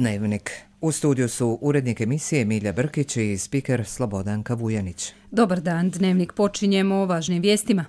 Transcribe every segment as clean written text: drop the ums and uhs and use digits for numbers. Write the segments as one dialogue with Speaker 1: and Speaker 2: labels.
Speaker 1: Dnevnik. U studiju su urednik emisije Milja Brkić i spiker Slobodanka Vujanić.
Speaker 2: Dobar dan, Dnevnik počinjemo o važnim vijestima.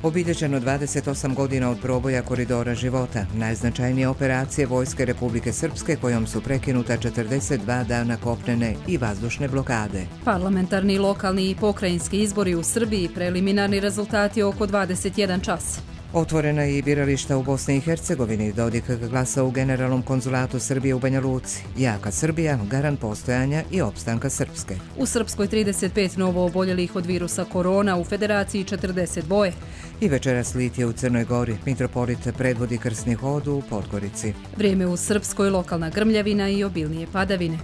Speaker 1: Obilježeno 28 godina od proboja koridora života, najznačajnije operacije Vojske Republike Srpske kojom su prekinuta 42 dana kopnene i vazdušne blokade.
Speaker 2: Parlamentarni, lokalni i pokrajinski izbori u Srbiji, preliminarni rezultati oko 21 čas.
Speaker 1: Otvorena je i birališta u Bosni i Hercegovini, Dodik glasa u Generalnom konzulatu Srbije u Banja Luci. Jaka Srbija, garant postojanja i opstanka Srpske.
Speaker 2: U Srpskoj 35 novo oboljelih od virusa korona, u Federaciji 40 boje.
Speaker 1: I večeras litije u Crnoj Gori, mitropolit predvodi krsni hod u Podgorici.
Speaker 2: Vrijeme u Srpskoj, lokalna grmljavina i obilnije padavine.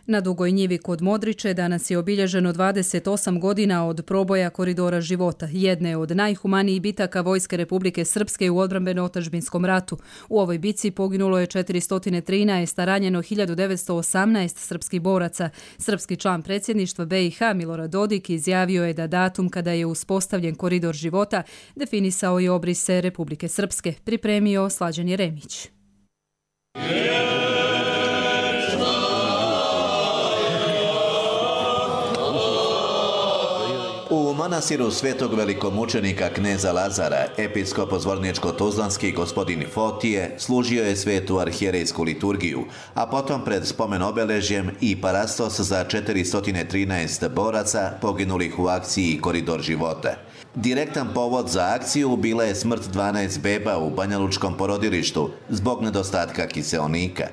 Speaker 2: Na Dugoj njivi kod Modriče danas je obilježeno 28 godina od proboja koridora života, jedne od najhumanijih bitaka Vojske Republike Srpske u odbrambeno-otadžbinskom ratu. U ovoj bici poginulo je 413, a ranjeno 1918 srpskih boraca. Srpski član predsjedništva BiH Milorad Dodik izjavio je da datum kada je uspostavljen koridor života definisao i obrise Republike Srpske. Pripremio Slađan Jeremić.
Speaker 3: U manastiru svetog velikomučenika kneza Lazara, episkop Zvorničko-Tuzlanski gospodin Fotije služio je svetu arhijerejsku liturgiju, a potom pred spomen obeležjem i parastos za 413 boraca poginulih u akciji Koridor života. Direktan povod za akciju bila je smrt 12 beba u banjalučkom porodilištu zbog nedostatka kiseonika.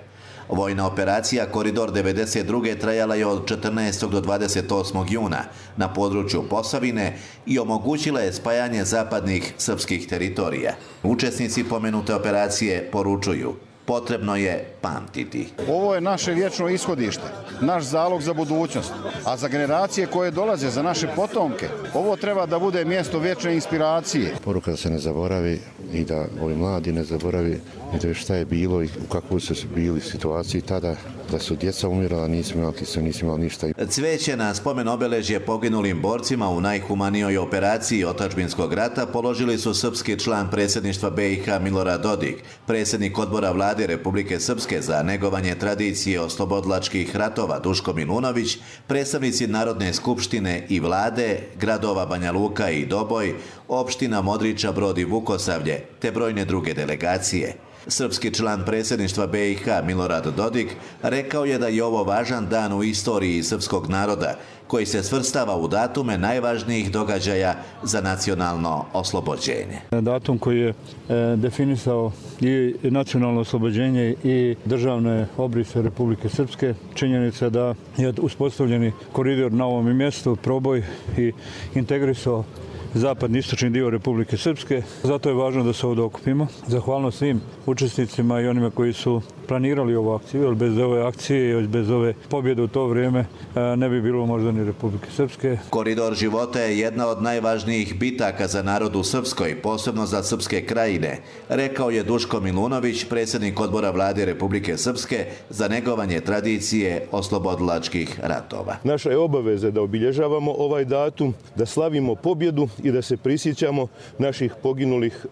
Speaker 3: Vojna operacija Koridor 92. trajala je od 14. do 28. juna na području Posavine i omogućila je spajanje zapadnih srpskih teritorija. Učesnici pomenute operacije poručuju: potrebno je pamtiti.
Speaker 4: Ovo je naše vječno ishodište, naš zalog za budućnost, a za generacije koje dolaze, za naše potomke, ovo treba da bude mjesto vječne inspiracije.
Speaker 5: Poruka da se ne zaboravi i da ovi mladi ne zaboravi i da šta je bilo i u kakvoj su bili situaciji tada, da su djeca umirala, nismo imali ništa.
Speaker 3: Cveće na spomen obeležje poginulim borcima u najhumanijoj operaciji otadžbinskog rata položili su srpski član predsjedništva BiH Milorad Dodik, predsjednik odbora Vlade Republike Srpske za negovanje tradicije oslobodilačkih ratova Duško Milunović, predstavnici Narodne skupštine i vlade, gradova Banja Luka i Doboj, opština Modriča, Brod i Vukosavlje, te brojne druge delegacije. Srpski član predsjedništva BiH Milorad Dodik rekao je da je ovo važan dan u istoriji srpskog naroda, koji se svrstava u datume najvažnijih događaja za nacionalno oslobođenje.
Speaker 6: Datum koji je definisao i nacionalno oslobođenje i državne obrise Republike Srpske, činjenica da je uspostavljeni koridor na ovom mjestu, proboj i integrisao zapadni istočni dio Republike Srpske. Zato je važno da se ovdje okupimo. Zahvalnost svim učesnicima i onima koji su planirali ovu akciju, jer bez ove akcije i bez ove pobjede u to vrijeme ne bi bilo možda ni Republike Srpske.
Speaker 3: Koridor života je jedna od najvažnijih bitaka za narod u Srpskoj, posebno za srpske krajine, rekao je Duško Milunović, predsjednik odbora Vlade Republike Srpske za negovanje tradicije oslobodilačkih ratova.
Speaker 7: Naša je obaveza da obilježavamo ovaj datum, da slavimo pobjedu i da se prisjećamo naših poginulih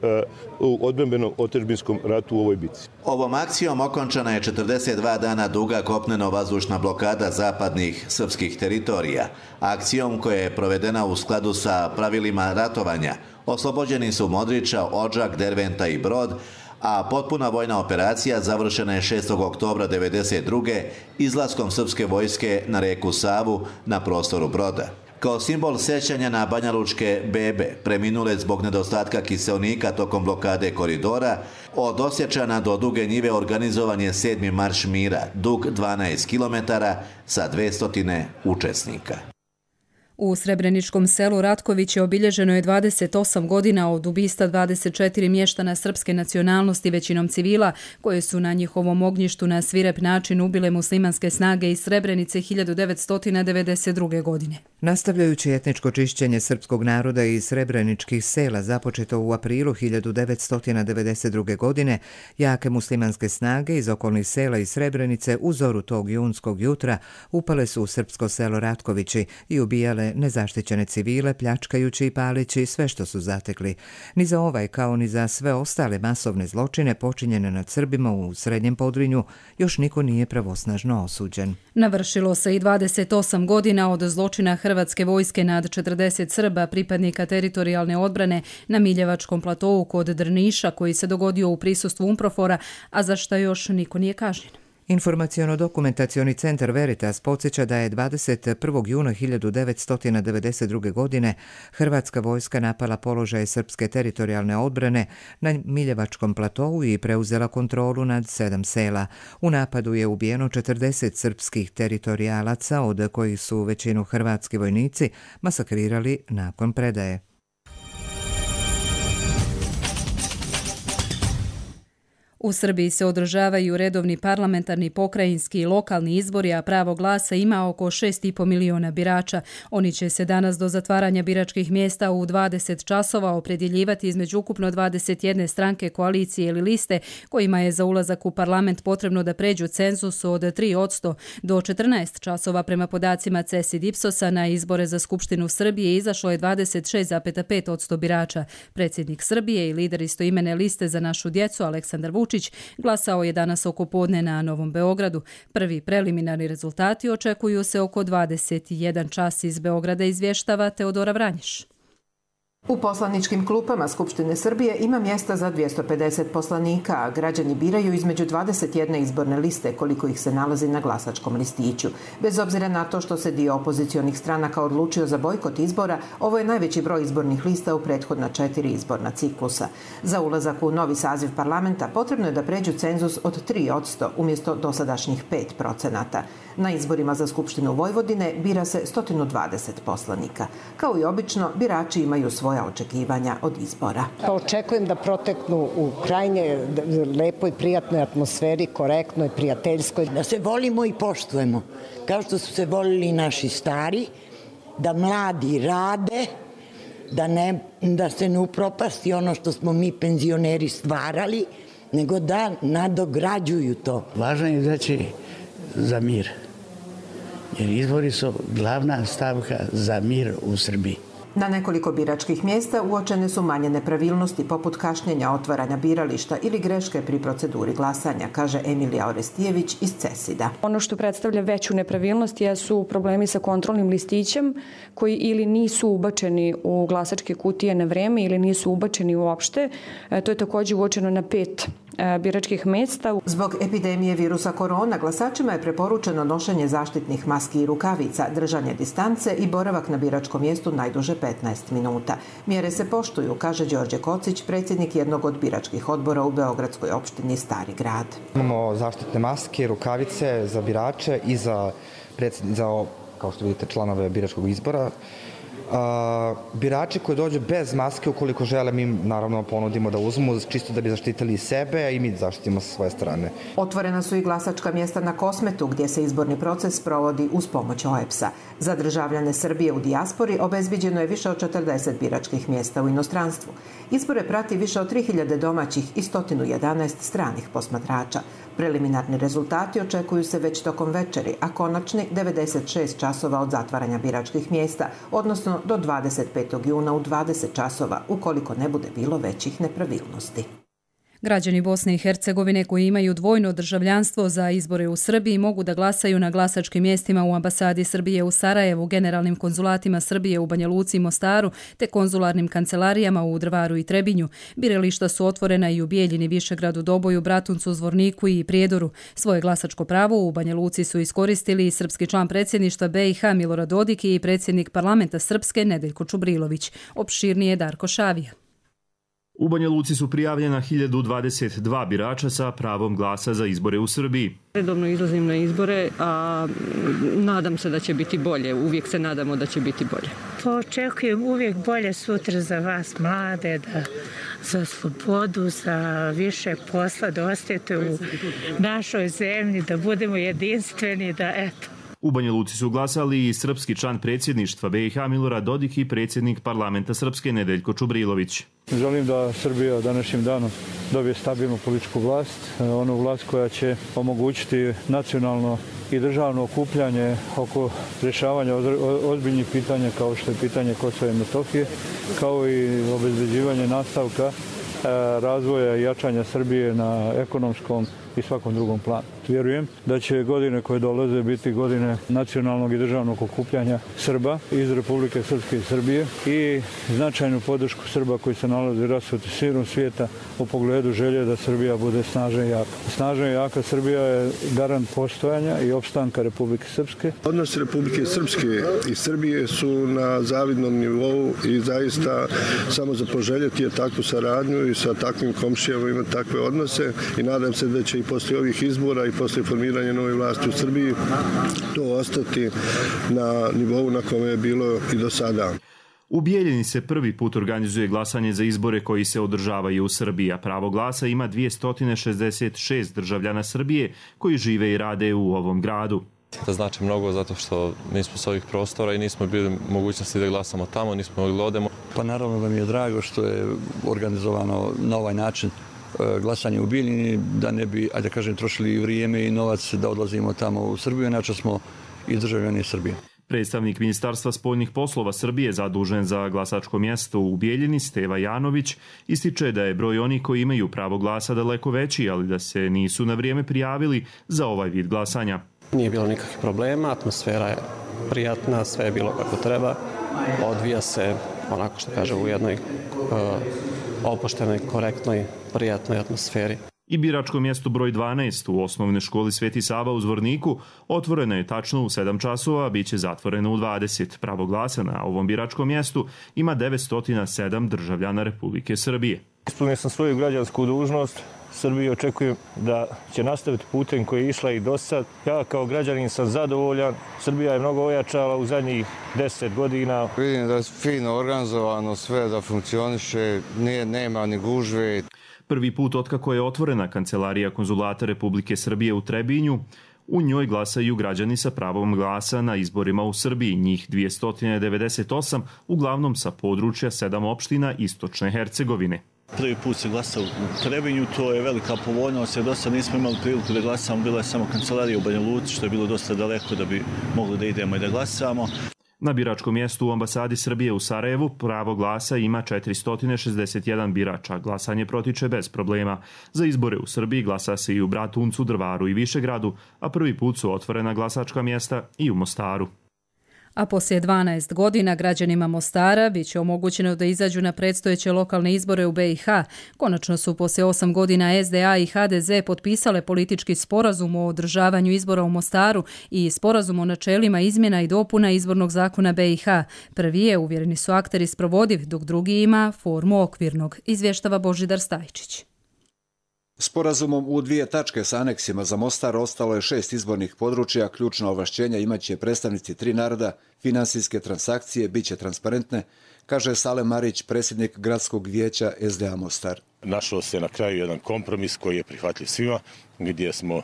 Speaker 7: u odbrambeno-otadžbinskom ratu u ovoj bici.
Speaker 3: Ovom akcijom okončana je 42 dana duga kopneno-vazdušna blokada zapadnih srpskih teritorija. Akcijom koja je provedena u skladu sa pravilima ratovanja, oslobođeni su Modriča, Odžak, Derventa i Brod, a potpuna vojna operacija završena je 6. oktobra 1992. izlaskom srpske vojske na reku Savu na prostoru Broda. Kao simbol sećanja na banjalučke bebe, preminule zbog nedostatka kiseonika tokom blokade koridora, od Osječana do Duge njive organizovan je 7. marš mira, dug 12 km sa 200 učesnika.
Speaker 2: U Srebreničkom selu Ratković je obilježeno je 28 godina od ubistva 24 mještana srpske nacionalnosti, većinom civila, koje su na njihovom ognjištu na svirep način ubile muslimanske snage iz Srebrenice 1992. godine.
Speaker 1: Nastavljajući etničko čišćenje srpskog naroda i srebreničkih sela započeto u aprilu 1992. godine, jake muslimanske snage iz okolnih sela i Srebrenice u zoru tog junskog jutra upale su u srpsko selo Ratkovići i ubijale nezaštićene civile, pljačkajući i palići sve što su zatekli. Ni za ovaj kao ni za sve ostale masovne zločine počinjene nad Srbima u Srednjem Podrinju još niko nije pravosnažno osuđen.
Speaker 2: Navršilo se i 28 godina od zločina Hrvatske vojske nad 40 Srba, pripadnika teritorijalne odbrane na Miljevačkom platovu kod Drniša, koji se dogodio u prisustvu UNPROFOR-a, a za što još niko nije kažnjen.
Speaker 1: Informaciono-dokumentacioni centar Veritas podsjeća da je 21. juna 1992. godine Hrvatska vojska napala položaje srpske teritorijalne odbrane na Miljevačkom platovu i preuzela kontrolu nad 7 sela. U napadu je ubijeno 40 srpskih teritorijalaca, od kojih su većinu hrvatski vojnici masakrirali nakon predaje.
Speaker 2: U Srbiji se održavaju redovni parlamentarni, pokrajinski i lokalni izbori, a pravo glasa ima oko 6,5 miliona birača. Oni će se danas do zatvaranja biračkih mjesta u 20 časova opredjeljivati između ukupno 21 stranke, koalicije ili liste, kojima je za ulazak u parlament potrebno da pređu cenzus od 3%. Do 14 časova prema podacima CES i Ipsosa na izbore za Skupštinu Srbije izašlo je 26,5% birača. Predsjednik Srbije i lider istoimene liste Za našu djecu Aleksandar Vučić glasao je danas oko podne na Novom Beogradu. Prvi preliminarni rezultati očekuju se oko 21 čas. Iz Beograda izvještava Teodora Vranješ.
Speaker 8: U poslaničkim klupama Skupštine Srbije ima mjesta za 250 poslanika, a građani biraju između 21 izborne liste koliko ih se nalazi na glasačkom listiću. Bez obzira na to što se dio opozicionih stranaka odlučio za bojkot izbora, ovo je najveći broj izbornih lista u prethodna 4 izborna ciklusa. Za ulazak u novi saziv parlamenta potrebno je da pređu cenzus od 3% umjesto dosadašnjih 5%. Na izborima za Skupštinu Vojvodine bira se 120 poslanika. Kao i obično, birači imaju svoja očekivanja od izbora.
Speaker 9: Očekujem da proteknu u krajnje lepoj, prijatnoj atmosferi, korektnoj, prijateljskoj.
Speaker 10: Da se volimo i poštujemo, kao što su se volili i naši stari, da mladi rade, da se ne upropasti ono što smo mi penzioneri stvarali, nego da nadograđuju to.
Speaker 11: Važno je izaći za mir, jer izbori su glavna stavka za mir u Srbiji.
Speaker 8: Na nekoliko biračkih mjesta uočene su manje nepravilnosti poput kašnjenja otvaranja birališta ili greške pri proceduri glasanja, kaže Emilija Orestijević iz CESID-a.
Speaker 12: Ono što predstavlja veću nepravilnost jesu problemi sa kontrolnim listićem koji ili nisu ubačeni u glasačke kutije na vreme ili nisu ubačeni uopšte. To je također uočeno na 5 biračkih mjesta.
Speaker 8: Zbog epidemije virusa korona glasačima je preporučeno nošenje zaštitnih maski i rukavica, držanje distance i boravak na biračkom mjestu najduže 15 minuta. Mjere se poštuju, kaže Đorđe Kocić, predsjednik jednog od biračkih odbora u beogradskoj opštini Stari grad.
Speaker 13: Imamo zaštitne maske, rukavice za birače i za kao što vidite, članove biračkog izbora. Birači koji dođu bez maske, ukoliko žele, mi naravno ponudimo da uzmu, čisto da bi zaštitili sebe, a i mi zaštitimo sa svoje strane.
Speaker 8: Otvorena su i glasačka mjesta na Kosmetu, gdje se izborni proces provodi uz pomoć OEBS-a. Za državljane Srbije u dijaspori obezbiđeno je više od 40 biračkih mjesta u inostranstvu. Izbore prati više od 3000 domaćih i 111 stranih posmatrača. Preliminarni rezultati očekuju se već tokom večeri, a konačni 96 časova od zatvaranja biračkih mjesta, odnosno do 25. juna u 20 časova, ukoliko ne bude bilo većih nepravilnosti.
Speaker 2: Građani Bosne i Hercegovine koji imaju dvojno državljanstvo za izbore u Srbiji mogu da glasaju na glasačkim mjestima u ambasadi Srbije u Sarajevu, generalnim konzulatima Srbije u Banja Luci i Mostaru te konzularnim kancelarijama u Drvaru i Trebinju. Birališta su otvorena i u Bijeljini, Višegradu, Doboju, Bratuncu, Zvorniku i Prijedoru. Svoje glasačko pravo u Banja Luci su iskoristili i srpski član predsjedništva BiH Milorad Dodik i predsjednik parlamenta Srpske Nedeljko Čubrilović. Opširnije Darko Šavija.
Speaker 14: U Banja Luci su prijavljena 1022 birača sa pravom glasa za izbore u Srbiji.
Speaker 15: Redovno izlazim na izbore, a nadam se da će biti bolje. Uvijek se nadamo da će biti bolje.
Speaker 16: Očekujem uvijek bolje sutra za vas mlade, da za slobodu, za više posla, da ostajete u našoj zemlji, da budemo jedinstveni, da eto.
Speaker 14: U Banja Luci su glasali i srpski član predsjedništva BiH Milorad Dodik i predsjednik parlamenta Srpske Nedeljko Čubrilović.
Speaker 6: Želim da Srbija današnjim danom dobije stabilnu političku vlast, onu vlast koja će omogućiti nacionalno i državno okupljanje oko rješavanja ozbiljnih pitanja kao što je pitanje Kosova i Metohije, kao i obezbeđivanje nastavka razvoja i jačanja Srbije na ekonomskom i svakom drugom planu. Vjerujem da će godine koje dolaze biti godine nacionalnog i državnog okupljanja Srba iz Republike Srpske i Srbije i značajnu podršku Srba koji se nalaze rasuti širom svijeta u pogledu želje da Srbija bude snažna i jaka. Snažna i jaka Srbija je garant postojanja i opstanka Republike Srpske.
Speaker 17: Odnosi Republike Srpske i Srbije su na zavidnom nivou i zaista samo za poželjeti je takvu saradnju i sa takvim komšijama imati takve odnose i nadam se da će i poslije ovih izbora i poslije formiranja nove vlasti u Srbiji to ostati na nivou na kome je bilo i do sada.
Speaker 14: U Bijeljini se prvi put organizuje glasanje za izbore koji se održavaju u Srbiji, a pravo glasa ima 266 državljana Srbije koji žive i rade u ovom gradu.
Speaker 18: To znači mnogo zato što nismo s ovih prostora i nismo bili mogućnosti da glasamo tamo, nismo mogli da odemo.
Speaker 19: Pa naravno da mi je drago što je organizovano na ovaj način glasanje u Bijeljini, da ne bi, ajde kažem, trošili vrijeme i novac da odlazimo tamo u Srbiju, inače smo i državljani Srbije.
Speaker 14: Predstavnik Ministarstva spoljnih poslova Srbije zadužen za glasačko mjesto u Bijeljini, Steva Janović, ističe da je broj onih koji imaju pravo glasa daleko veći, ali da se nisu na vrijeme prijavili za ovaj vid glasanja.
Speaker 20: Nije bilo nikakvih problema, atmosfera je prijatna, sve je bilo kako treba, odvija se onako što kaže u jednoj opuštenoj, korektnoj, prijatnoj atmosferi.
Speaker 14: I biračko mjesto broj 12 u osnovnoj školi Sveti Sava u Zvorniku otvoreno je tačno u 7 časova, a bit će zatvoreno u 20. Pravo glasa na ovom biračkom mjestu ima 907 državljana Republike Srbije.
Speaker 21: Ispunio sam svoju građansku dužnost. Srbiju očekujem da će nastaviti putem koji je išla i do sad. Ja kao građanin sam zadovoljan. Srbija je mnogo ojačala u zadnjih 10 godina.
Speaker 22: Vidim da je fino organizovano sve, da funkcioniše, nema ni gužve.
Speaker 14: Prvi put otkako je otvorena kancelarija konzulata Republike Srbije u Trebinju, u njoj glasaju građani sa pravom glasa na izborima u Srbiji, njih 298, uglavnom sa područja 7 opština istočne Hercegovine.
Speaker 23: Prvi put se glasa u Trebinju, to je velika povoljnost, jer do sad nismo imali priliku da glasamo, bila je samo kancelarija u Banja Luci, što je bilo dosta daleko da bi mogli da idemo i da glasamo.
Speaker 14: Na biračkom mjestu u ambasadi Srbije u Sarajevu pravo glasa ima 461 birača. Glasanje protiče bez problema. Za izbore u Srbiji glasa se i u Bratuncu, Drvaru i Višegradu, a prvi put su otvorena glasačka mjesta i u Mostaru.
Speaker 2: A poslije 12 godina građanima Mostara bit će omogućeno da izađu na predstojeće lokalne izbore u BiH. Konačno su poslije 8 godina SDA i HDZ potpisale politički sporazum o održavanju izbora u Mostaru i sporazum o načelima izmjena i dopuna izbornog zakona BiH. Prvi je, uvjereni su akteri, sprovodiv, dok drugi ima formu okvirnog, izvještava Božidar Stajčić.
Speaker 24: Sporazumom u 2 tačke sa aneksima za Mostar ostalo je 6 izbornih područja, ključna ovlašćenja imaće predstavnici 3 naroda, finansijske transakcije biće transparentne, kaže Salem Marić, predsjednik gradskog vijeća SDA Mostar.
Speaker 25: Našao se na kraju jedan kompromis koji je prihvatljiv svima, gdje smo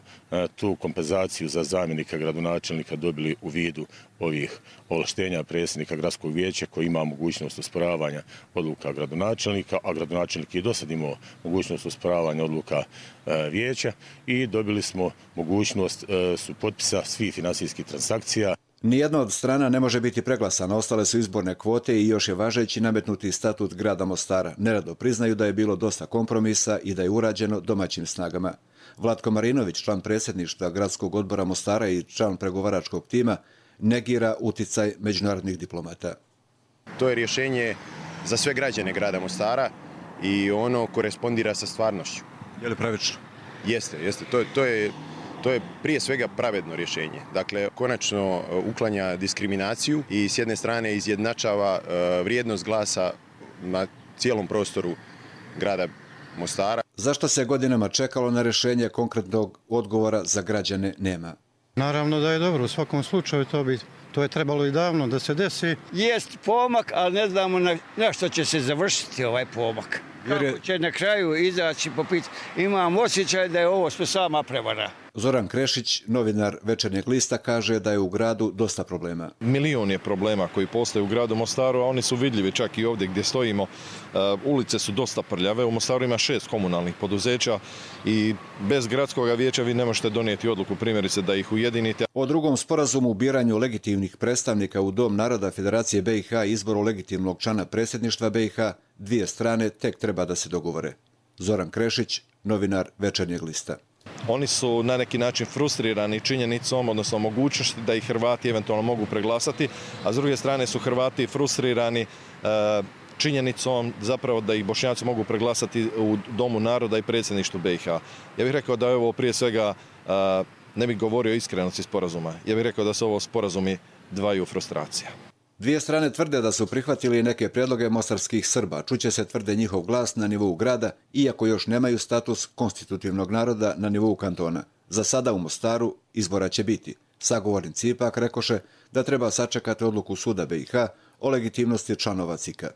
Speaker 25: tu kompenzaciju za zamjenika gradonačelnika dobili u vidu ovih ovlaštenja predsjednika gradskog vijeća koji ima mogućnost osporavanja odluka gradonačelnika, a gradonačelnik je do sad imao mogućnost osporavanja odluka vijeća i dobili smo mogućnost su potpisa svih finansijskih transakcija.
Speaker 24: Nijedna od strana ne može biti preglasana, ostale su izborne kvote i još je važeći nametnuti statut grada Mostara. Nerado priznaju da je bilo dosta kompromisa i da je urađeno domaćim snagama. Vlatko Marinović, član predsjedništva gradskog odbora Mostara i član pregovaračkog tima, negira uticaj međunarodnih diplomata.
Speaker 26: To je rješenje za sve građane grada Mostara i ono korespondira sa stvarnošću.
Speaker 24: Je li pravično?
Speaker 26: Jeste. To je prije svega pravedno rješenje. Dakle, konačno uklanja diskriminaciju i s jedne strane izjednačava vrijednost glasa na cijelom prostoru grada Mostara.
Speaker 24: Zašto se godinama čekalo na rješenje, konkretnog odgovora za građane nema?
Speaker 27: Naravno da je dobro, u svakom slučaju to bi
Speaker 1: To je trebalo i davno da se desi.
Speaker 3: Jest pomak, ali ne znamo na što će se završiti ovaj pomak. Kako će na kraju izaći po pitanju. Imam osjećaj da je ovo sve sama prevara.
Speaker 24: Zoran Krešić, novinar Večernjeg lista, kaže da je u gradu dosta problema.
Speaker 4: Milion je problema koji postoje u gradu Mostaru, a oni su vidljivi čak i ovdje gdje stojimo. Ulice su dosta prljave. U Mostaru ima 6 komunalnih poduzeća i bez gradskog vijeća vi ne možete donijeti odluku, primjerice, da ih ujedinite.
Speaker 24: O drugom sporazumu u biranju legitimnih predstavnika u Dom naroda Federacije BiH i izboru legitimnog člana predsjedništva BiH, dvije strane tek treba da se dogovore. Zoran Krešić, novinar Večernjeg lista.
Speaker 4: Oni su na neki način frustrirani činjenicom, odnosno mogućnosti da ih Hrvati eventualno mogu preglasati, a s druge strane su Hrvati frustrirani činjenicom zapravo da ih Bošnjaci mogu preglasati u Domu naroda i predsjedništvu BiH. Ja bih rekao da je ovo prije svega, ne bih govorio o iskrenosti sporazuma, ja bih rekao da su ovo sporazumi dvaju frustracija.
Speaker 24: Dvije strane tvrde da su prihvatili neke prijedloge mostarskih Srba. Čuće se, tvrde, njihov glas na nivou grada, iako još nemaju status konstitutivnog naroda na nivou kantona. Za sada u Mostaru izbora će biti. Sagovornici ipak rekoše da treba sačekati odluku suda BiH o legitimnosti članova CIK-a.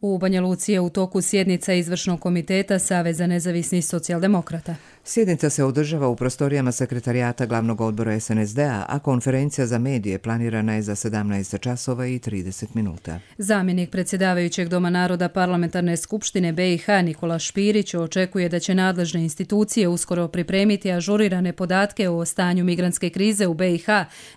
Speaker 2: U Banja Luci je u toku sjednica Izvršnog komiteta Saveza nezavisnih socijaldemokrata.
Speaker 5: Sjednica se održava u prostorijama sekretarijata Glavnog odbora SNSD-a, a konferencija za medije planirana je za 17 časova i 30 minuta.
Speaker 2: Zamjenik predsjedavajućeg Doma naroda Parlamentarne skupštine BiH Nikola Špirić očekuje da će nadležne institucije uskoro pripremiti ažurirane podatke o stanju migrantske krize u BiH,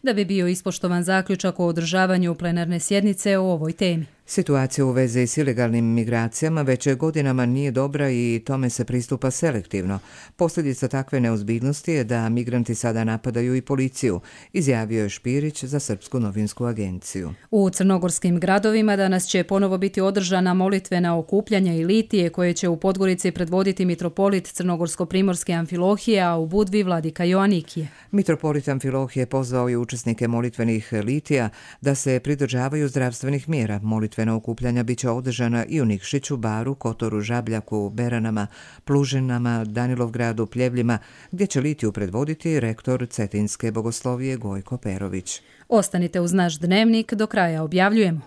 Speaker 2: da bi bio ispoštovan zaključak o održavanju plenarne sjednice o ovoj temi.
Speaker 5: Situacija u vezi s ilegalnim migracijama već godinama nije dobra i tome se pristupa selektivno. Posljedica takve neozbiljnosti je da migranti sada napadaju i policiju, izjavio je Špirić za Srpsku novinsku agenciju.
Speaker 2: U crnogorskim gradovima danas će ponovo biti održana molitvena okupljanja i litije koje će u Podgorici predvoditi mitropolit crnogorsko-primorske Amfilohije, a u Budvi vladika Joanikije.
Speaker 5: Mitropolit Amfilohije pozvao je učesnike molitvenih litija da se pridržavaju zdravstvenih mjera. Molitvena okupljanja biće održana i u Nikšiću, Baru, Kotoru, Žabljaku, Beranama, Plužinama, Danilovgradu, Pljevljima, gdje će litiju predvoditi rektor Cetinske bogoslovije Gojko Perović.
Speaker 2: Ostanite uz naš dnevnik, do kraja objavljujemo.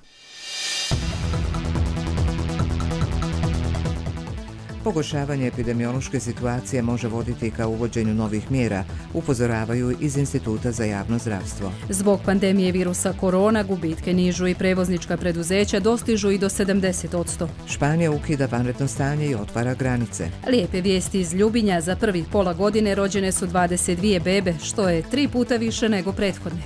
Speaker 5: Pogoršavanje epidemiološke situacije može voditi ka uvođenju novih mjera, upozoravaju iz Instituta za javno zdravstvo.
Speaker 2: Zbog pandemije virusa korona gubitke nižu i prevoznička preduzeća dostižu i do 70%.
Speaker 5: Španija ukida vanredno stanje i otvara granice.
Speaker 2: Lijepe vijesti iz Ljubinja, za prvih pola godine rođene su 22 bebe, što je 3 puta više nego prethodne.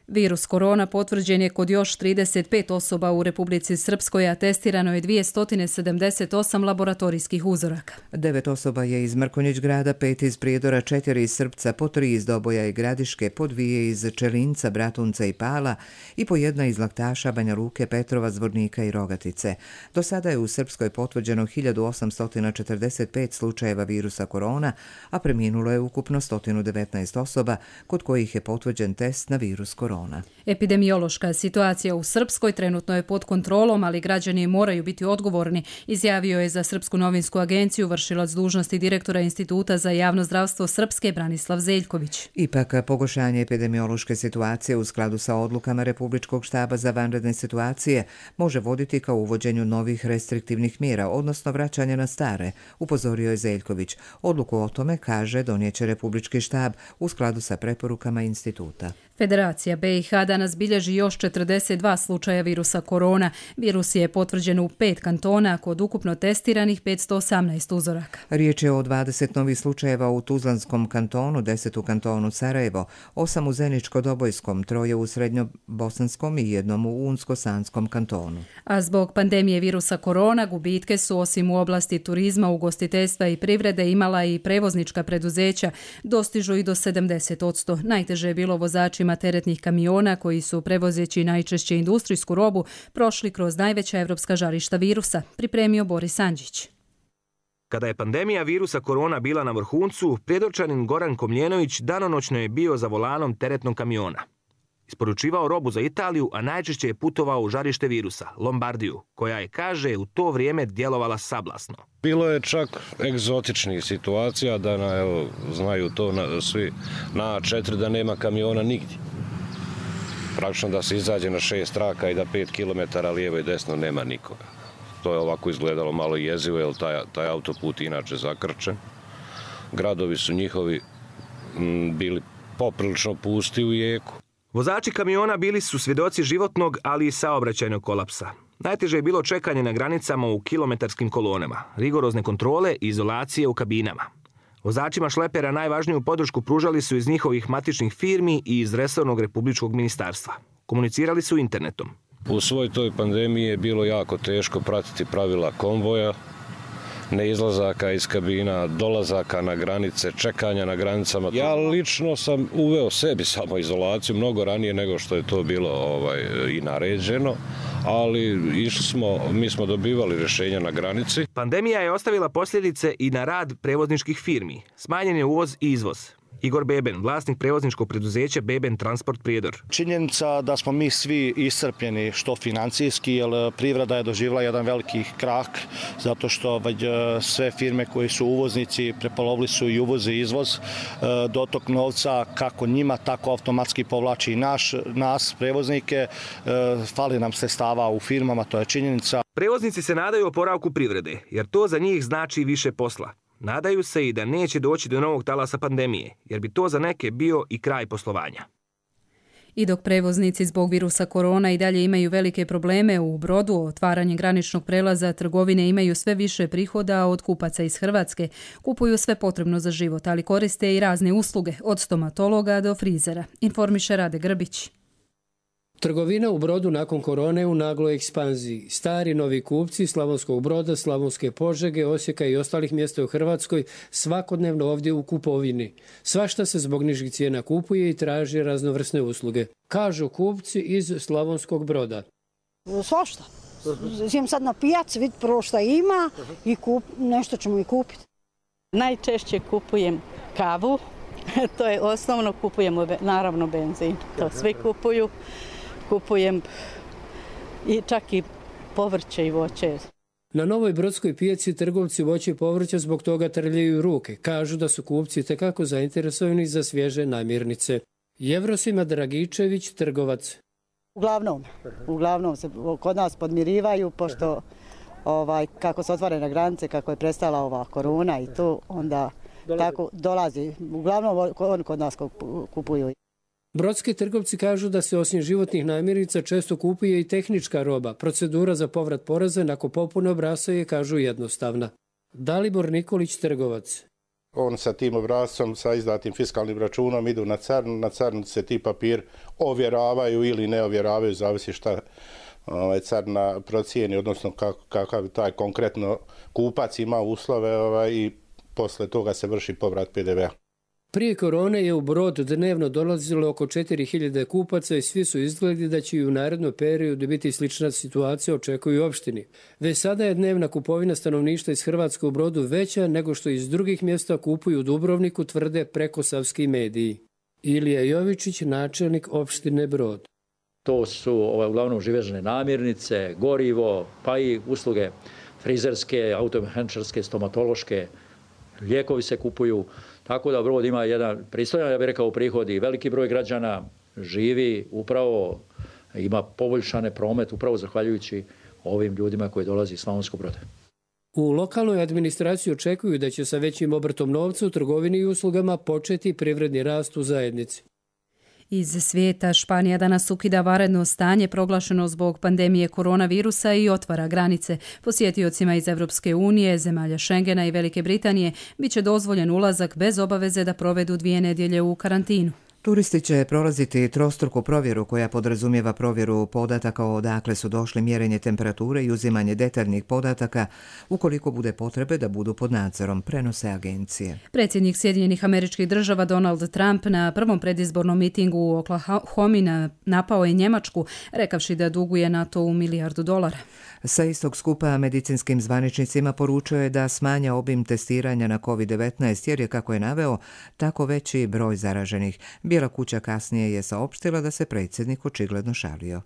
Speaker 2: Virus korona potvrđen je kod još 35 osoba u Republici Srpskoj, a testirano je 278 laboratorijskih uzoraka.
Speaker 5: 9 osoba je iz Mrkonjić grada, 5 iz Prijedora, 4 iz Srpca, po 3 iz Doboja i Gradiške, po 2 iz Čelinca, Bratunca i Pala i po 1 iz Laktaša, Banja Luke, Petrova, Zvornika i Rogatice. Do sada je u Srpskoj potvrđeno 1845 slučajeva virusa korona, a preminulo je ukupno 119 osoba, kod kojih je potvrđen test na virus korona.
Speaker 2: Epidemiološka situacija u Srpskoj trenutno je pod kontrolom, ali građani moraju biti odgovorni, izjavio je za Srpsku novinsku agenciju vršilac dužnosti direktora Instituta za javno zdravstvo Srpske Branislav Zeljković.
Speaker 5: Ipak, pogoršanje epidemiološke situacije u skladu sa odlukama Republičkog štaba za vanredne situacije može voditi ka uvođenju novih restriktivnih mjera, odnosno vraćanja na stare, upozorio je Zeljković. Odluku o tome, kaže, donijeće Republički štab u skladu sa preporukama instituta.
Speaker 2: Federacija BiH danas bilježi još 42 slučaja virusa korona. Virus je potvrđen u 5 kantona kod ukupno testiranih 518 uzoraka.
Speaker 5: Riječ je o 20 novih slučajeva u Tuzlanskom kantonu, 10 u kantonu Sarajevo, 8 u Zeničko-Dobojskom, 3 u Srednjobosanskom i 1 u Unsko-Sanskom kantonu.
Speaker 2: A zbog pandemije virusa korona gubitke su osim u oblasti turizma, ugostiteljstva i privrede imala i prevoznička preduzeća, dostižu i do 70%. Najteže je bilo vozačima teretnih kamiona koji su, prevozeći najčešće industrijsku robu, prošli kroz najveća evropska žarišta virusa, pripremio Boris Andžić.
Speaker 7: Kada je pandemija virusa korona bila na vrhuncu, Prijedorčanin Goran Komljenović danonoćno je bio za volanom teretnog kamiona. Isporučivao robu za Italiju, a najčešće je putovao u žarište virusa, Lombardiju, koja je, kaže, u to vrijeme djelovala sablasno.
Speaker 8: Bilo je čak egzotičnih situacija da znaju to svi na A4 da nema kamiona nigdje. Praktično da se izađe na 6 traka i da 5 km lijevo i desno nema nikoga. To je ovako izgledalo malo jezivo, jer taj autoput inače zakrčen. Gradovi su njihovi bili poprilično pusti u jeku.
Speaker 7: Vozači kamiona bili su svjedoci životnog, ali i saobraćajnog kolapsa. Najteže je bilo čekanje na granicama u kilometarskim kolonama, rigorozne kontrole i izolacije u kabinama. Vozačima šlepera najvažniju podršku pružali su iz njihovih matičnih firmi i iz resornog republičkog ministarstva. Komunicirali su internetom.
Speaker 8: U svoj toj pandemiji je bilo jako teško pratiti pravila konvoja, neizlazaka iz kabina, dolazaka na granice, čekanja na granicama. Ja lično sam uveo sebi samoizolaciju mnogo ranije nego što je to bilo i naređeno, ali mi smo dobivali rješenja na granici.
Speaker 7: Pandemija je ostavila posljedice i na rad prevozničkih firmi. Smanjen je uvoz i izvoz. Igor Beben, vlasnik prevozničkog preduzeća Beben Transport Prijedor.
Speaker 9: Činjenica da smo mi svi iscrpljeni što financijski, jer privreda je doživjela jedan veliki krah, zato što sve firme koji su uvoznici prepolovili su i uvoz i izvoz. Dotok novca kako njima, tako automatski povlači i nas, prevoznike. Fali nam sredstava u firmama, to je činjenica.
Speaker 7: Prevoznici se nadaju oporavku privrede, jer to za njih znači više posla. Nadaju se i da neće doći do novog talasa pandemije, jer bi to za neke bio i kraj poslovanja.
Speaker 2: I dok prevoznici zbog virusa korona i dalje imaju velike probleme u Brodu, otvaranje graničnog prelaza, trgovine imaju sve više prihoda od kupaca iz Hrvatske. Kupuju sve potrebno za život, ali koriste i razne usluge, od stomatologa do frizera. Informiše Rade Grbić.
Speaker 10: Trgovina u Brodu nakon korone u nagloj ekspanziji. Stari novi kupci Slavonskog Broda, Slavonske Požege, Osijeka i ostalih mjesta u Hrvatskoj svakodnevno ovdje u kupovini. Svašta se zbog nižih cijena kupuje i traži raznovrsne usluge. Kažu kupci iz Slavonskog Broda.
Speaker 11: Svašta. Idem sad na pijac, vid prvo šta ima i nešto ćemo i kupiti.
Speaker 12: Najčešće kupujem kavu, to je osnovno, kupujemo naravno benzin, to svi kupuju. Kupujem i čak i povrće i voće.
Speaker 10: Na Novoj Brodskoj pijaci trgovci voća i povrća zbog toga trljaju ruke. Kažu da su kupci tekako zainteresovani za svježe namirnice. Jevrosima Dragičević, trgovac.
Speaker 11: Uglavnom se kod nas podmirivaju, pošto kako se otvore na granice, kako je prestala ova korona i to, onda tako dolazi. Uglavnom oni kod nas kupuju.
Speaker 10: Brodski trgovci kažu da se osim životnih namirnica često kupuje i tehnička roba. Procedura za povrat poreza nakon popune obrasca je, kažu, jednostavna. Dalibor Nikolić, trgovac.
Speaker 13: On sa tim obrascom, sa izdatim fiskalnim računom idu na carnu. Na carnu se ti papir ovjeravaju ili ne ovjeravaju, zavisi šta carna procijeni, odnosno kakav taj konkretno kupac ima uslove i posle toga se vrši povrat PDV-a.
Speaker 10: Prije korone je u Brod dnevno dolazilo oko 4000 kupaca i svi su izgledi da će i u narednom periodu biti slična situacija, očekuju opštini. Već sada je dnevna kupovina stanovništva iz Hrvatske u Brodu veća nego što iz drugih mjesta kupuju u Dubrovniku, tvrde prekosavski mediji. Ilija Jovičić, načelnik opštine Brod.
Speaker 27: To su uglavnom živežne namirnice, gorivo, pa i usluge frizerske, automehaničarske, stomatološke, lijekovi se kupuju. Tako da Brod ima jedan pristojan, ja bih rekao, prihod i veliki broj građana živi upravo, ima poboljšane promet upravo zahvaljujući ovim ljudima koji dolazi iz Slavonskog Broda.
Speaker 10: U lokalnoj administraciji očekuju da će sa većim obrtom novca u trgovini i uslugama početi privredni rast u zajednici.
Speaker 2: Iz svijeta Španija danas ukida vanredno stanje proglašeno zbog pandemije koronavirusa i otvara granice. Posjetiocima iz Europske unije, zemalja Schengena i Velike Britanije biće dozvoljen ulazak bez obaveze da provedu 2 nedjelje u karantinu.
Speaker 5: Turisti će prolaziti trostruku provjeru koja podrazumijeva provjeru podataka odakle su došli, mjerenje temperature i uzimanje detaljnih podataka ukoliko bude potrebe da budu pod nadzorom, prenose agencije.
Speaker 2: Predsjednik Sjedinjenih Američkih Država Donald Trump na prvom predizbornom mitingu u Oklahomi napao je Njemačku, rekavši da duguje NATO-u $1 milijardu.
Speaker 5: Sa istog skupa medicinskim zvaničnicima poručio je da smanja obim testiranja na COVID-19 jer je, kako je naveo, tako veći broj zaraženih. Bijela kuća kasnije je saopštila da se predsjednik očigledno šalio.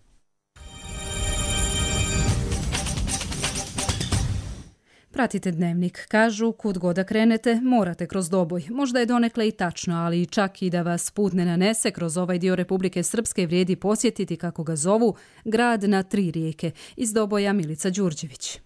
Speaker 2: Pratite Dnevnik. Kažu, kud god da krenete, morate kroz Doboj. Možda je donekle i tačno, ali čak i da vas put ne nanese kroz ovaj dio Republike Srpske vrijedi posjetiti, kako ga zovu, grad na 3 rijeke. Iz Doboja Milica Đurđević.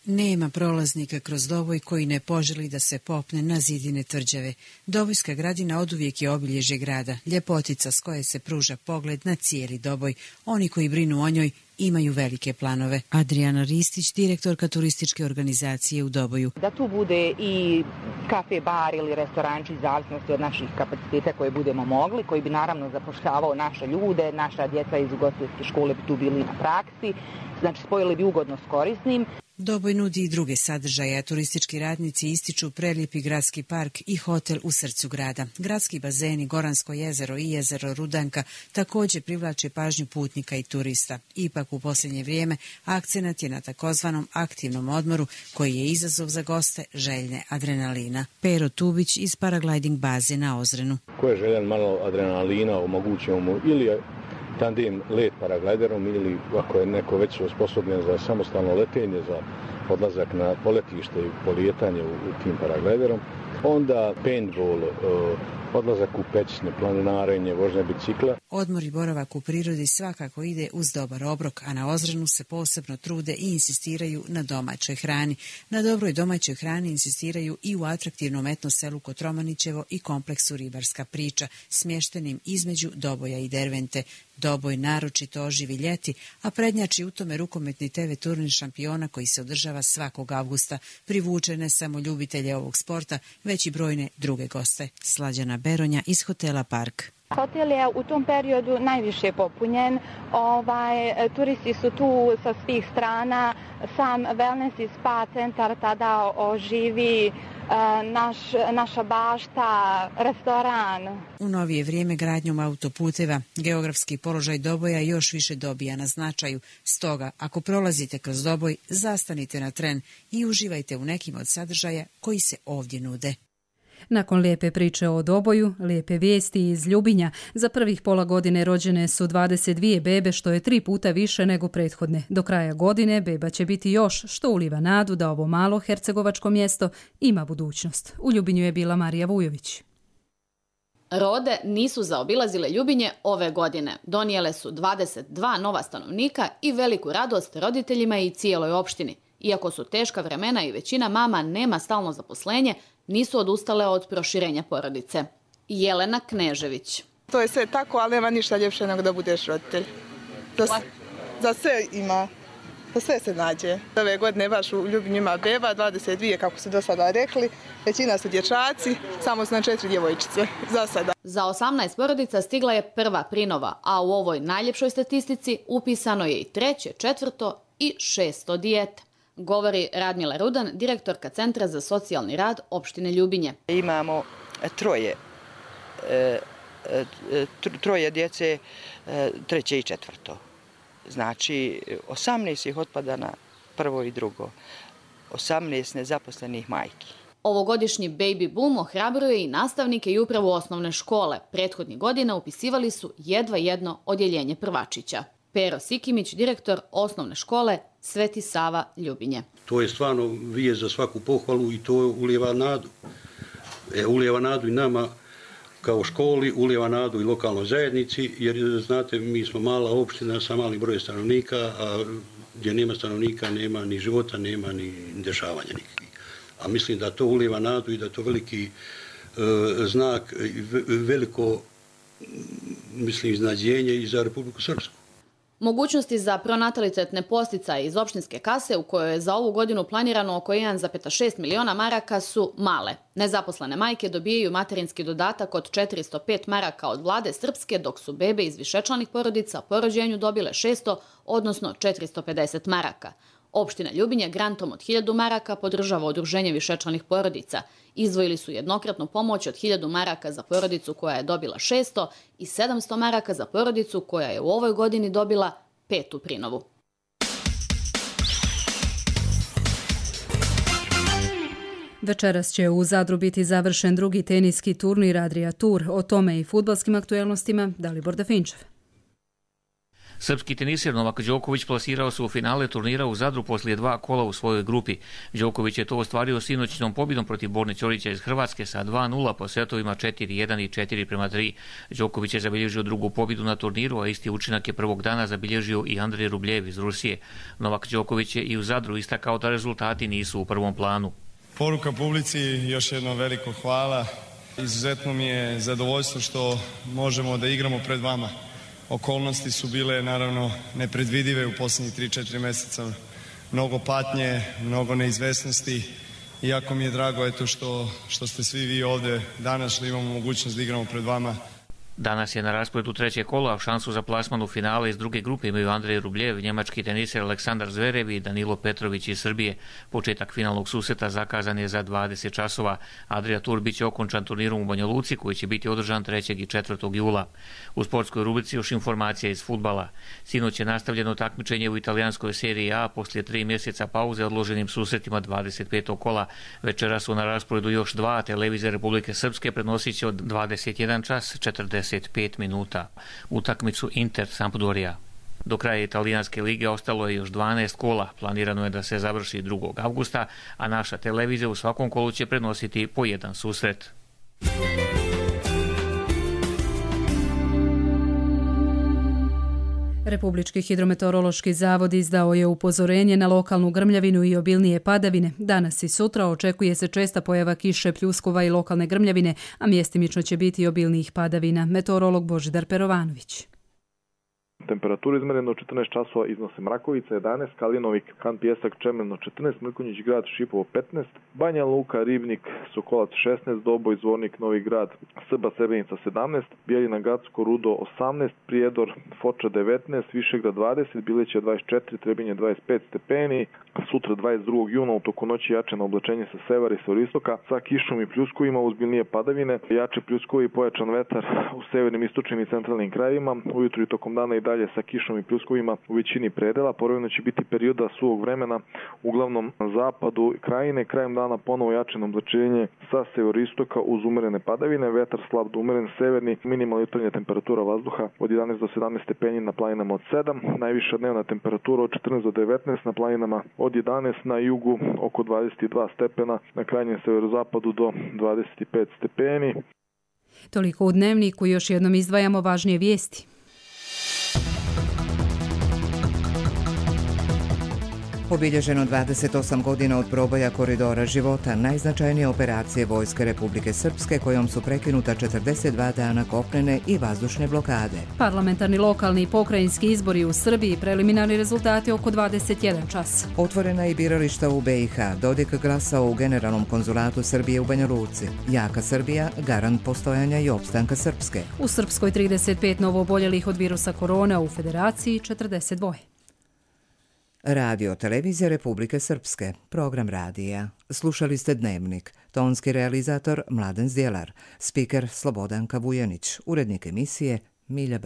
Speaker 6: Nema prolaznika kroz Doboj koji ne poželi da se popne na zidine tvrđave. Dobojska gradina oduvijek je obilježje grada, ljepotica s koje se pruža pogled na cijeli Doboj. Oni koji brinu o njoj imaju velike planove. Adriana Ristić, direktorka turističke organizacije u Doboju.
Speaker 15: Da tu bude i kafe, bar ili restoranči, zavisnosti od naših kapaciteta koje budemo mogli, koji bi naravno zapošljavao naše ljude, naša djeca iz ugostiteljske škole bi tu bili na praksi, znači spojili bi ugodno s korisnim.
Speaker 6: Doboj nudi i druge sadržaje, a turistički radnici ističu prelijepi gradski park i hotel u srcu grada. Gradski bazeni, Goransko jezero i jezero Rudanka također privlače pažnju putnika i turista. Ipak u posljednje vrijeme akcenat je na takozvanom aktivnom odmoru koji je izazov za goste željne adrenalina. Pero Tubić iz paragliding baze na Ozrenu.
Speaker 16: Ko je željan malo adrenalina, omogućimo mu ili tandem let paragliderom ili ako je neko već osposobljen za samostalno letenje, za odlazak na poletište i polijetanje u tim paragliderom, onda paintball, odlazak u pećine, planinarenje, vožnja bicikla.
Speaker 6: Odmor i boravak u prirodi svakako ide uz dobar obrok, a na Ozrenu se posebno trude i insistiraju na domaćoj hrani. Na dobroj domaćoj hrani insistiraju i u atraktivnom etno selu Kotromanićevo i kompleksu Ribarska priča, smještenim između Doboja i Dervente. Doboj naročito oživi ljeti, a prednjači u tome rukometni TV turnir šampiona koji se održava svakog avgusta. Privuče ne samo ljubitelje ovog sporta, već i brojne druge goste. Slađana Beronja iz hotela Park.
Speaker 17: Hotel je u tom periodu najviše popunjen. Turisti su tu sa svih strana. Sam wellness i spa centar tada oživi, naša bašta, restoran.
Speaker 6: U novije vrijeme gradnjom autoputeva geografski položaj Doboja još više dobija na značaju. Stoga, ako prolazite kroz Doboj, zastanite na tren i uživajte u nekim od sadržaja koji se ovdje nude.
Speaker 2: Nakon lijepe priče o Doboju, lijepe vijesti iz Ljubinja, za prvih pola godine rođene su 22 bebe, što je 3 puta više nego prethodne. Do kraja godine beba će biti još, što uliva nadu da ovo malo hercegovačko mjesto ima budućnost. U Ljubinju je bila Marija Vujović.
Speaker 18: Rode nisu zaobilazile Ljubinje ove godine. Donijele su 22 nova stanovnika i veliku radost roditeljima i cijeloj opštini. Iako su teška vremena i većina mama nema stalno zaposlenje, nisu odustale od proširenja porodice. Jelena Knežević.
Speaker 19: To je sve tako, ali nema ništa ljepše nego da budeš roditelj. Za sve ima, za sve se nađe. Ove godine baš u Ljubinju ima beba, 22 kako su do sada rekli, većina su dječaci, samo su na 4 djevojčice za sada.
Speaker 18: Za 18 porodica stigla je prva prinova, a u ovoj najljepšoj statistici upisano je i 3., 4. i 6. dijete. Govori Radmila Rudan, direktorka Centra za socijalni rad opštine Ljubinje.
Speaker 20: Imamo troje djece, 3. i 4. Znači, 18 ih otpada na 1. i 2. 18 nezaposlenih majki.
Speaker 18: Ovogodišnji baby boom ohrabruje i nastavnike i upravu osnovne škole. Prethodnih godina upisivali su jedva jedno odjeljenje prvačića. Pero Sikimić, direktor osnovne škole Sveti Sava Ljubinje.
Speaker 28: To je stvarno vijest za svaku pohvalu i to ulijeva nadu. Ulijeva nadu i nama kao školi, ulijeva nadu i lokalnoj zajednici, jer znate, mi smo mala opština sa malim brojem stanovnika, a gdje nema stanovnika nema ni života, nema ni dešavanja nikakvih. A mislim da to ulijeva nadu i da to veliki znak, veliko iznadženje i za Republiku Srpsku.
Speaker 18: Mogućnosti za pronatalitetne posticaje iz opštinske kase, u kojoj je za ovu godinu planirano oko 1,6 miliona maraka, su male. Nezaposlene majke dobijaju materinski dodatak od 405 maraka od vlade Srpske, dok su bebe iz višečlanih porodica po rođenju dobile 600, odnosno 450 maraka. Opština Ljubinje grantom od 1000 maraka podržava udruženje višečlanih porodica. Izdvojili su jednokratnu pomoć od 1000 maraka za porodicu koja je dobila 600 i 700 maraka za porodicu koja je u ovoj godini dobila 5. prinovu.
Speaker 2: Večeras će u Zadru biti završen drugi teniski turnir Adria Tour. O tome i fudbalskim aktuelnostima Dalibor Definčev.
Speaker 1: Srpski teniser Novak Đoković plasirao se u finale turnira u Zadru poslije 2 kola u svojoj grupi. Đoković je to ostvario sinoćnom pobjedom protiv Borne Ćorića iz Hrvatske sa 2:0 po setovima 4:1 i 4:3. Đoković je zabilježio drugu pobjedu na turniru, a isti učinak je prvog dana zabilježio i Andrej Rubljev iz Rusije. Novak Đoković je i u Zadru istakao da rezultati nisu u prvom planu.
Speaker 3: Poruka publici, još jedno veliko hvala. Izuzetno mi je zadovoljstvo što možemo da igramo pred vama. Okolnosti su bile naravno nepredvidive u posljednjih 3-4 mjeseca. Mnogo patnje, mnogo neizvesnosti. I jako mi je drago što ste svi vi ovdje danas, što imamo mogućnost da igramo pred vama.
Speaker 1: Danas je na rasporedu treće kola, a šansu za plasman u finale iz druge grupe imaju Andrej Rubljev, njemački teniser Aleksandar Zverev i Danilo Petrović iz Srbije. Početak finalnog susreta zakazan je za 20 časova. Adria Tour biće okončan turnirom u Banja Luci koji će biti održan 3. i 4. jula. U sportskoj rubrici još informacija iz fudbala. Sinoć je nastavljeno takmičenje u italijanskoj seriji A poslije 3 mjeseca pauze odloženim susretima 25. kola. Večera su na rasporedu još 2, televizija Republike Srpske prenosit će od 21 čas 45 minuta utakmicu Inter Sampdoria. Do kraja italijanske lige ostalo je još 12 kola. Planirano je da se završi 2. avgusta, a naša televizija u svakom kolu će prenositi po jedan susret.
Speaker 2: Republički hidrometeorološki zavod izdao je upozorenje na lokalnu grmljavinu i obilnije padavine. Danas i sutra očekuje se česta pojava kiše, pljuskova i lokalne grmljavine, a mjestimično će biti i obilnijih padavina. Meteorolog Božidar Perovanović.
Speaker 14: Temperatura izmerena u 14 časova iznose Mrakovica 11, Kalinovik, Han Pijesak, Čemerno 14, Mrkonjić grad, Šipovo 15, Banja Luka, Ribnik, Sokolac 16, Doboj, Zvornik, Novi grad, Srba, Srebrenica 17, Bijeljina, Gacko, Rudo 18, Prijedor, Foča 19, Višegrad 20, Bileća 24, Trebinje 25 stepeni. Sutra 22. juna u toku noći jače na oblačenje sa severa i severistoka sa kišom i pljuskovima uz biljnije padavine, jače pljuskovi i pojačan vetar u severnim, istočnim i centralnim krajevima, ujutru i tokom dana i dalje sa kišom i pljuskovima u većini predela. Povremeno će biti perioda suvog vremena uglavnom na zapadu krajine, krajem dana ponovo jače na oblačenje sa severistoka uz umerene padavine, vetar slab do umeren severni, minimalna jutarnja temperatura vazduha od 11 do 17 stepeni na planinama od 7, najviša dnevna temperatura od 14 do 19 na planinama od 11, na jugu oko 22 stepena, na krajnjem severozapadu do 25 stepeni.
Speaker 2: Toliko u Dnevniku, još jednom izdvajamo važnije vijesti.
Speaker 5: Obilježeno 28 godina od proboja koridora života, najznačajnije operacije Vojske Republike Srpske kojom su prekinuta 42 dana kopnene i vazdušne blokade.
Speaker 2: Parlamentarni, lokalni i pokrajinski izbori u Srbiji, preliminarni rezultati oko 21 čas.
Speaker 5: Otvorena i birališta u BiH, Dodik glasao u Generalnom konzulatu Srbije u Banja Luci. Jaka Srbija, garant postojanja i opstanka Srpske.
Speaker 2: U Srpskoj 35 novooboljelih od virusa korona, u Federaciji 42.
Speaker 5: Radio Televizija Republike Srpske, program radija. Slušali ste Dnevnik, tonski realizator Mladen Zdjelar, spiker Slobodanka Vujanić, urednik emisije Milja